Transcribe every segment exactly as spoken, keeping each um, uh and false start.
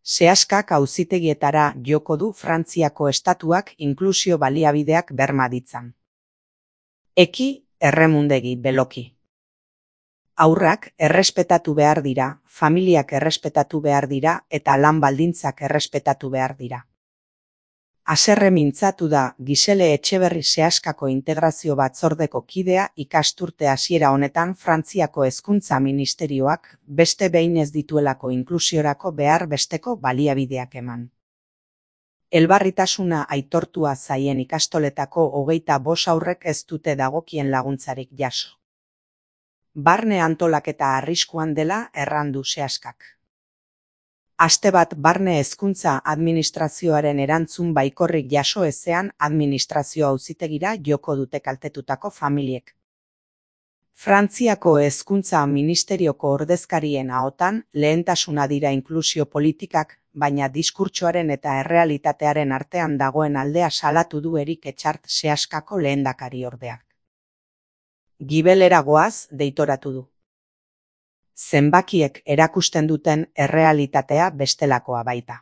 Sehaskak auzitegietara joko du Frantziako estatuak inklusio baliabideak berma ditzan. Eki, erremundegi, beloki. Haurrak errespetatu behar dira, familiak errespetatu behar dira eta lan baldintzak errespetatu behar dira. Haserre mintzatu da Gisele Etxeberri Sehaskako Integrazio Batzordeko kidea ikasturte hasiera honetan Frantziako Hezkuntza Ministerioak beste behin ez dituelako inklusiorako behar besteko baliabideak eman. Elbarritasuna aitortua zaien ikastoletako hogeita bost haurrek ez dute dagokien laguntzarik jaso. Barne antolaketa arriskuan dela errandu Sehaskak. Aste bat barne hezkuntza administrazioaren erantzun baikorrik jaso ezean administrazio auzitegira joko dute kaltetutako familiek. Frantziako Hezkuntza Ministerioko ordezkarien ahotan lehentasuna dira inklusio politikak, baina diskurtsoaren eta errealitatearen artean dagoen aldea salatu du Erik Etxart Sehaskako lehendakari ordeak. Gibelera goaz deitoratu du. Zenbakiek erakusten duten errealitatea bestelakoa baita.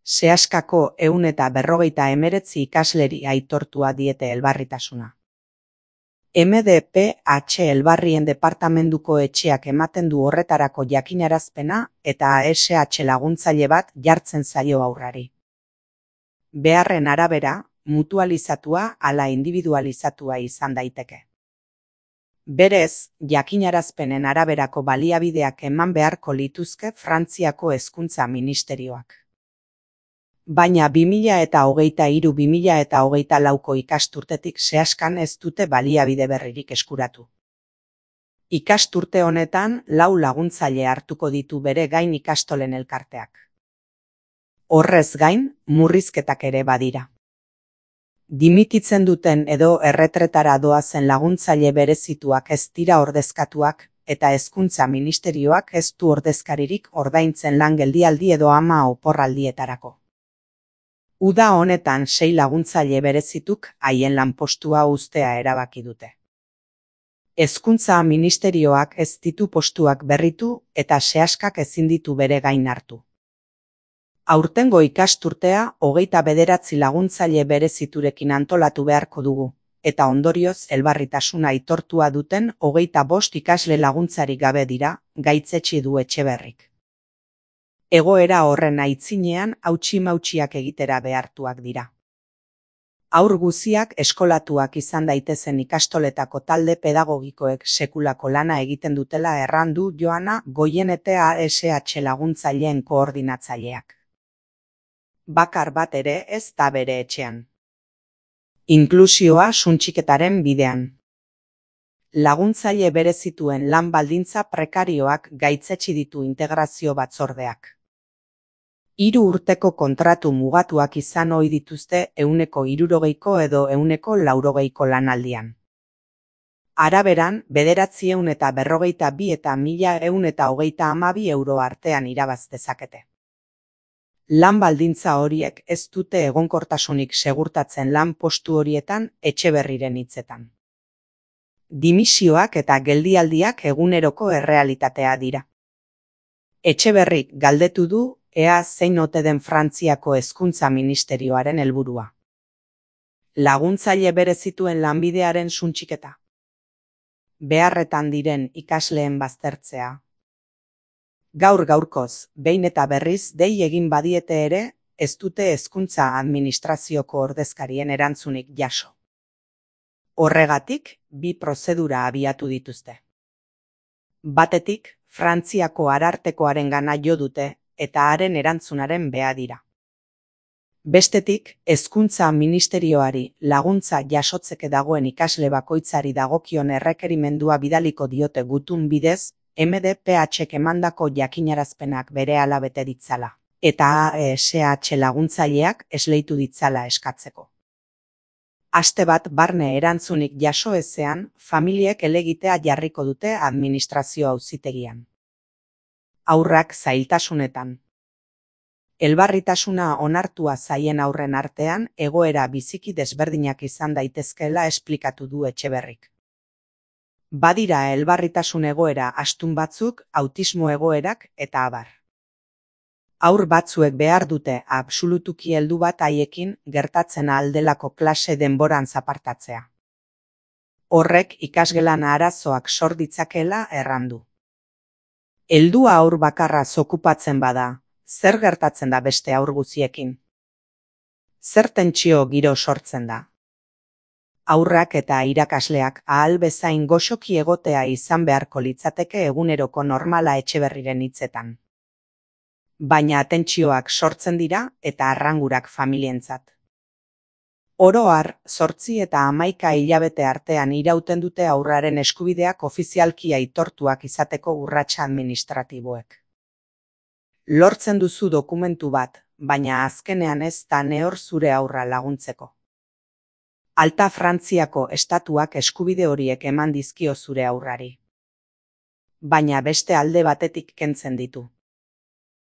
Sehaskako ehun eta berrogeita hemeretzi ikasleri aitortua diete elbarritasuna. M D P H Elbarrien departamenduko etxeak ematen du horretarako jakinarazpena eta A S H laguntzaile bat jartzen zaio haurrari. Beharren arabera, mutualizatua ala individualizatua izan daiteke. Berez, jakinarazpenen araberako baliabideak eman beharko lituzke Frantziako Hezkuntza Ministerioak. Baina bi mila eta hogeita hiru bi mila eta hogeita lauko ikasturtetik Sehaskan ez dute baliabide berririk eskuratu. Ikasturte honetan lau laguntzaile hartuko ditu bere gain ikastolen elkarteak. Horrez gain, murrizketak ere badira. Dimititzen duten edo erretretara doazen laguntzaile berezituak ez dira ordezkatuak, eta Hezkuntza Ministerioak ez du ordezkaririk ordaintzen lan geldialdi edo ama oporraldietarako. Uda honetan sei laguntzaile berezituk haien lanpostua uztea erabaki dute. Hezkuntza Ministerioak ez ditu postuak berritu eta Sehaskak ezin ditu bere gain hartu. Aurtengo ikasturtea hogeita bederatzi laguntzaile bereziturekin antolatu beharko dugu, eta ondorioz elbarritasuna aitortua duten hogeita bost ikasle laguntzarik gabe dira, gaitzetsi du Etxeberrik. Egoera horren aitzinean hautsi-mautsiak egitera behartuak dira. Haur guziak eskolatuak izan daitezen ikastoletako talde pedagogikoek sekulako lana egiten dutela errandu Joana Goienete A S H laguntzaileen koordinatzaileak. Bakar bat ere ez da bere etxean. Inklusioa suntsiketaren bidean. Laguntzaile berezituen lan baldintza prekarioak gaitzetsi ditu integrazio batzordeak. Hiru urteko kontratu mugatuak izan ohi dituzte ehuneko hirurogeiko edo ehuneko laurogeiko lanaldian. Araberan, bederatziehun eta berrogeita bi eta mila ehun eta hogeita hamabi euro artean irabaz dezakete. Lan baldintza horiek ez dute egonkortasunik segurtatzen lan postu horietan Etxeberriren hitzetan. Dimisioak eta geldialdiak eguneroko errealitatea dira. Etxeberrik galdetu du ea zein ote den Frantziako Hezkuntza Ministerioaren helburua. Laguntzaile berezituen lanbidearen suntsiketa. Beharretan diren ikasleen baztertzea. Gaur gaurkoz, behin eta berriz dei egin badiete ere, ez dute hezkuntza administrazioko ordezkarien erantzunik jaso. Horregatik, bi prozedura abiatu dituzte. Batetik, Frantziako arartekoarengana jo dute eta haren erantzunaren beha dira. Bestetik, Hezkuntza Ministerioari laguntza jasotzeke dagoen ikasle bakoitzari dagokion errekerimendua bidaliko diote gutun bidez, M D P H-ek emandako jakinarazpenak berehala bete ditzala, eta A S H laguntzaileak esleitu ditzala eskatzeko. Aste bat barne erantzunik jaso ezean, familiek helegitea jarriko dute administrazio auzitegian. Haurrak zailtasunetan. Elbarritasuna onartua zaien aurren artean egoera biziki desberdinak izan daitezkeela esplikatu du Etxeberrik. Badira elbarritasun egoera astun batzuk, autismo egoerak eta abar. Haur batzuek behar dute absolutuki heldu bat haiekin gertatzen aldelako klase denboran zapartatzea. Horrek ikasgelan arazoak sor ditzakeela errandu. Heldua haur bakarra okupatzen bada, zer gertatzen da beste haur guztiekin? Zer tentsio giro sortzen da? Haurrak eta irakasleak ahal bezain goxoki egotea izan beharko litzateke eguneroko normala Etxeberriren hitzetan. Baina tentsioak sortzen dira eta arrangurak familientzat. Oro har, zortzi eta hamaika hilabete artean irauten dute haurraren eskubideak ofizialki aitortuak izateko urratsa administratiboek. Lortzen duzu dokumentu bat, baina azkenean ez da nehor zure haurra laguntzeko. Alta Frantziako estatuak eskubide horiek eman dizkio zure haurrari. Baina beste alde batetik kentzen ditu.